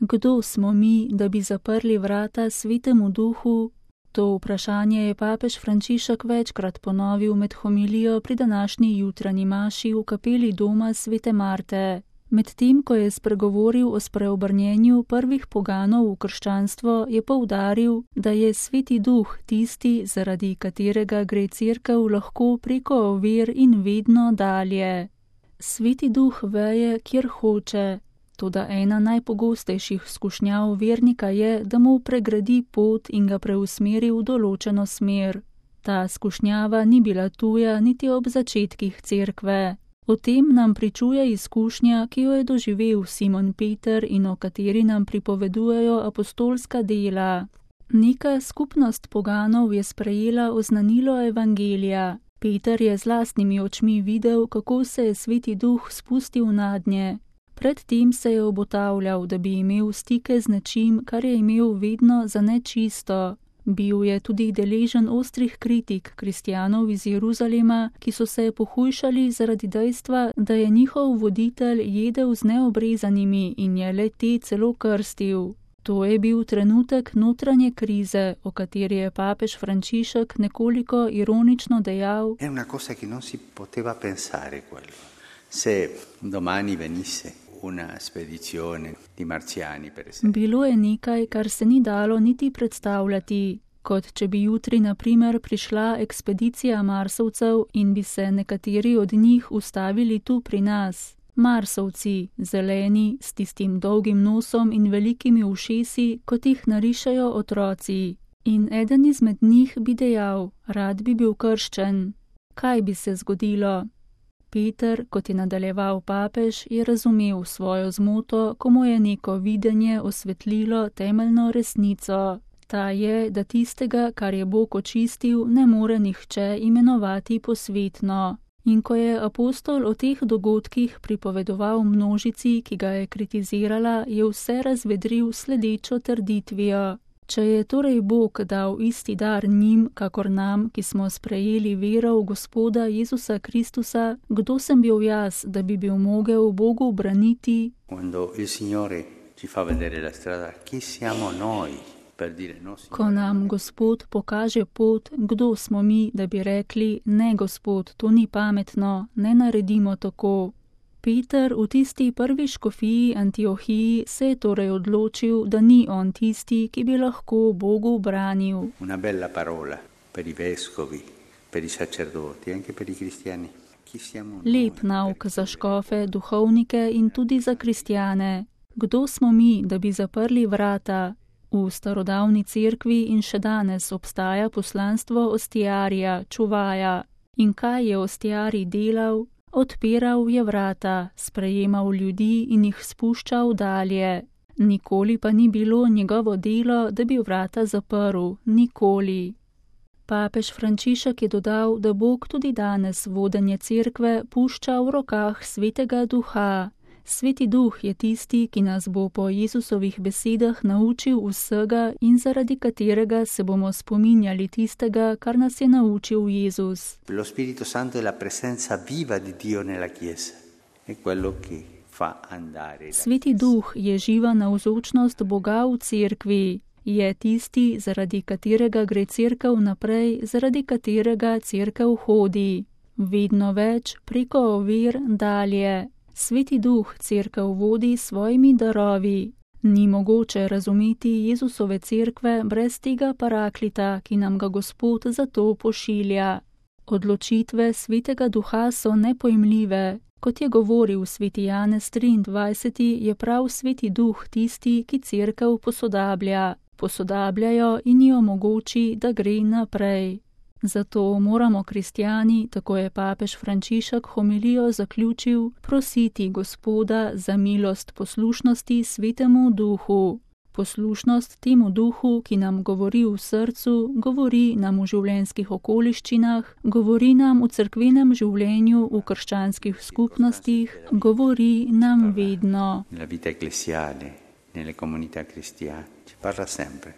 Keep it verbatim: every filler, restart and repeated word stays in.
Kdo smo mi, da bi zaprli vrata Svetemu Duhu? To vprašanje je papež Frančišek večkrat ponovil med homilijo pri današnji jutranji maši v kapeli doma Svete Marte. Medtem, ko je spregovoril o spreobrnjenju prvih poganov v krščanstvo, je poudaril, da je Sveti Duh tisti, zaradi katerega gre Cerkev lahko preko ovir in vedno dalje. Sveti Duh veje, kjer hoče. Toda ena najpogostejših skušnjav vernika je, da mu pregradi pot in ga preusmeri v določeno smer. Ta skušnjava ni bila tuja niti ob začetkih Cerkve. O tem nam pričuje izkušnja, ki jo je doživel Simon Peter in o kateri nam pripovedujejo apostolska dela. Neka skupnost poganov je sprejela oznanilo evangelija. Peter je z lastnimi očmi videl, kako se je Sveti Duh spustil nadnje. Predtem se je obotavljal, da bi imel stike z nečim, kar je imel vedno za nečisto. Bil je tudi deležen ostrih kritik kristjanov iz Jeruzalema, ki so se pohujšali zaradi dejstva, da je njihov voditelj jedel z neobrezanimi in je le te celo krstil. To je bil trenutek notranje krize, o kateri je papež Frančišek nekoliko ironično dejal: È una cosa che non si poteva pensare quello. Se domani venisse una spedizione di marziani, per esempio. Bilo je nekaj, kar se ni dalo niti predstavljati, kot če bi jutri na primer prišla ekspedicija Marsovcev in bi se nekateri od njih ustavili tu pri nas. Marsovci, zeleni, s tistim dolgim nosom in velikimi ušesi, kot jih narišajo otroci. In eden izmed njih bi dejal: rad bi bil krščen. Kaj bi se zgodilo? Peter, kot je nadaljeval papež, je razumel svojo zmoto, ko mu je neko videnje osvetlilo temeljno resnico. Ta je, da tistega, kar je Bog očistil, ne more nihče imenovati posvetno. In ko je apostol o teh dogodkih pripovedoval množici, ki ga je kritizirala, je vse razvedril sledečo trditvijo. Če je torej Bog dal isti dar njim, kakor nam, ki smo sprejeli vero v Gospoda Jezusa Kristusa, kdo sem bil jaz, da bi bil mogel Bogu braniti? Ko nam Gospod pokaže pot, kdo smo mi, da bi rekli: ne, Gospod, to ni pametno, ne naredimo tako. Peter v tisti prvi škofiji Antiohiji se je torej odločil, da ni on tisti, ki bi lahko Bogu branil. Una bella parola per i vescovi, per i sacerdoti, anche per i cristiani. Lep nauk za škofe, duhovnike in tudi za kristjane. Kdo smo mi, da bi zaprli vrata? V starodavni cerkvi in še danes obstaja poslanstvo ostijarija, čuvaja. In kaj je ostijarij delal? Odpiral je vrata, sprejemal ljudi in jih spuščal dalje. Nikoli pa ni bilo njegovo delo, da bi vrata zaprl, nikoli. Papež Frančišek je dodal, da Bog tudi danes vodenje cerkve pušča v rokah Svetega Duha. Sveti Duh je tisti, ki nas bo po Jezusovih besedah naučil vsega in zaradi katerega se bomo spominjali tistega, kar nas je naučil Jezus. Lo Spirito Santo è la presenza viva di Dio nella Chiesa. È quello che fa andare. Sveti Duh je živa navzočnost Boga v cerkvi. Je tisti, zaradi katerega gre cerkev naprej, zaradi katerega cerkev hodi. Vedno več preko ovir dalje. Sveti Duh cerkev vodi s svojimi darovi. Ni mogoče razumeti Jezusove cerkve brez tega paraklita, ki nam ga Gospod zato pošilja. Odločitve Svetega Duha so nepojmljive. Kot je govoril sveti Janez triindvajseti, je prav Sveti Duh tisti, ki cerkev posodablja. Posodabljajo in ji omogoči, da gre naprej. Zato moramo kristjani, tako je papež Frančišek homilijo zaključil, prositi Gospoda za milost poslušnosti Svetemu Duhu. Poslušnost temu Duhu, ki nam govori v srcu, govori nam v življenjskih okoliščinah, govori nam v cerkvenem življenju, v krščanskih skupnostih, govori nam vedno. Nella vita ecclesiale, nelle comunità cristiane, ci parla sempre.